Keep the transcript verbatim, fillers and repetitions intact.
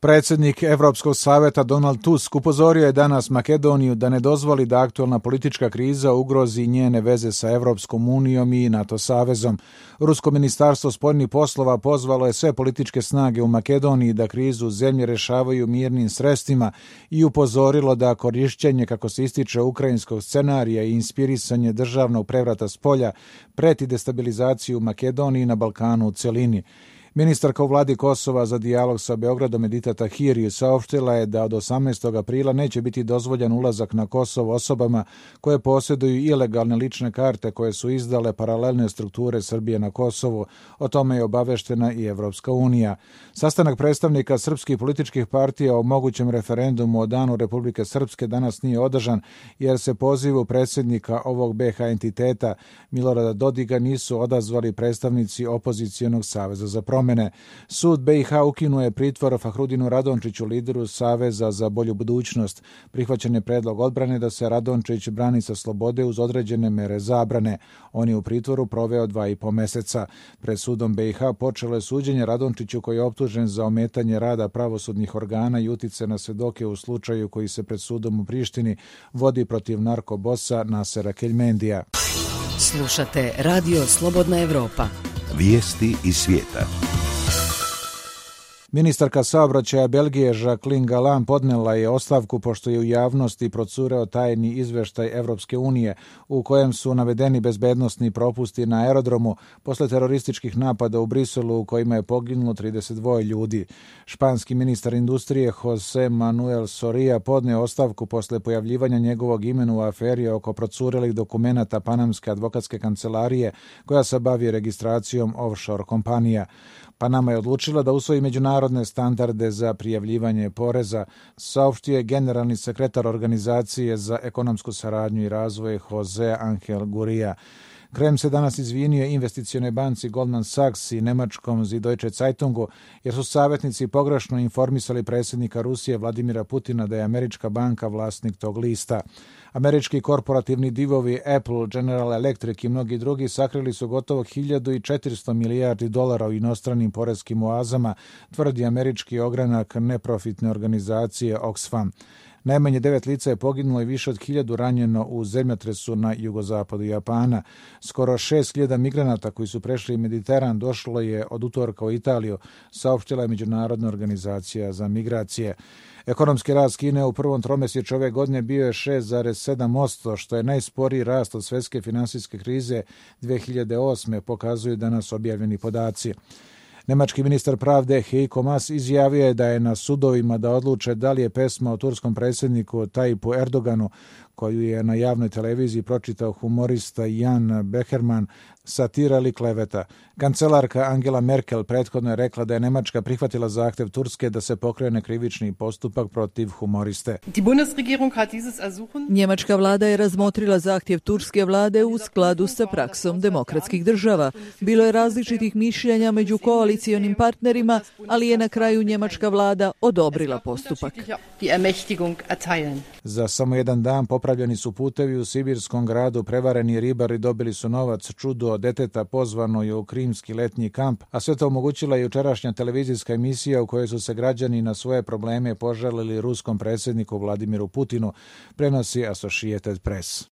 Predsjednik Evropskog savjeta Donald Tusk upozorio je danas Makedoniju da ne dozvoli da aktualna politička kriza ugrozi njene veze sa Evropskom unijom i NATO savezom. Rusko ministarstvo spoljnih poslova pozvalo je sve političke snage u Makedoniji da krizu zemlje rješavaju mirnim sredstvima i upozorilo da korišćenje, kako se ističe, ukrajinskog scenarija i inspirisanje državnog prevrata s polja preti destabilizaciju u Makedoniji i na Balkanu u celini. Ministarka u vladi Kosova za dijalog sa Beogradom Edita Tahiri saopštila je da od osamnaestog aprila neće biti dozvoljen ulazak na Kosovo osobama koje posjeduju ilegalne lične karte koje su izdale paralelne strukture Srbije na Kosovu. O tome je obaveštena i Evropska unija. Sastanak predstavnika srpskih političkih partija o mogućem referendumu o danu Republike Srpske danas nije održan jer se pozivu predsjednika ovog be ha entiteta Milorada Dodiga nisu odazvali predstavnici opozicijonog saveza za promjene. Sud be ha ukinuje pritvor Fahrudinu Radončiću, lideru Saveza za bolju budućnost. Prihvaćen je predlog odbrane da se Radončić brani sa slobode uz određene mere zabrane. On je u pritvoru proveo dva i po meseca. Pred sudom be ha počelo je suđenje Radončiću koji je optužen za ometanje rada pravosudnih organa i utice na svedoke u slučaju koji se pred sudom u Prištini vodi protiv narkobosa Nasera Keljmendija. Slušate Radio Slobodna Evropa. Vijesti iz svijeta. Ministarka saobraćaja Belgije Jacqueline Galland podnela je ostavku pošto je u javnosti procureo tajni izveštaj Evropske unije u kojem su navedeni bezbednosni propusti na aerodromu posle terorističkih napada u Briselu u kojima je poginulo trideset dva ljudi. Španski ministar industrije José Manuel Soria podneo ostavku posle pojavljivanja njegovog imena u aferi oko procurelih dokumenata Panamske advokatske kancelarije koja se bavi registracijom offshore kompanija. Panama je odlučila da usvoji međunarodne standarde za prijavljivanje poreza, saopštio je generalni sekretar Organizacije za ekonomsku saradnju i razvoj Jose Angel Gurria. Krem se danas izvinio investicionoj banci Goldman Sachs i nemačkom Die Deutsche Zeitungu jer su savjetnici pogrešno informisali predsjednika Rusije Vladimira Putina da je američka banka vlasnik tog lista. Američki korporativni divovi Apple, General Electric i mnogi drugi sakrili su gotovo hiljadu četiristo milijardi dolara u inostranim poreskim oazama, tvrdi američki ogranak neprofitne organizacije Oxfam. Najmanje devet lica je poginulo i više od hiljadu ranjeno u zemljotresu na jugozapadu Japana. Skoro šest hiljada migranata koji su prešli Mediteran došlo je od utorka u Italiju, saopštila je Međunarodna organizacija za migracije. Ekonomski rast Kine u prvom tromjesečju ove godine bio je šest zarez sedam posto, što je najsporiji rast od svjetske finansijske krize dve hiljade osme, pokazuju danas objavljeni podaci. Nemački ministar pravde Heiko Maas izjavio je da je na sudovima da odluče da li je pesma o turskom predsjedniku Tayyipu Erdoganu, koju je na javnoj televiziji pročitao humorista Jan Becherman, satira ili kleveta. Kancelarka Angela Merkel prethodno je rekla da je Nemačka prihvatila zahtjev Turske da se pokrene krivični postupak protiv humoriste. Njemačka vlada je razmotrila zahtjev turske vlade u skladu sa praksom demokratskih država. Bilo je različitih mišljenja među koalicionim partnerima, ali je na kraju njemačka vlada odobrila postupak. Za samo jedan dan popravljeni su putevi u sibirskom gradu, prevareni ribari dobili su novac, čudo od deteta pozvano je u krimski letnji kamp, a sve to omogućila je jučerašnja televizijska emisija u kojoj su se građani na svoje probleme požalili ruskom predsjedniku Vladimiru Putinu, prenosi Associated Press.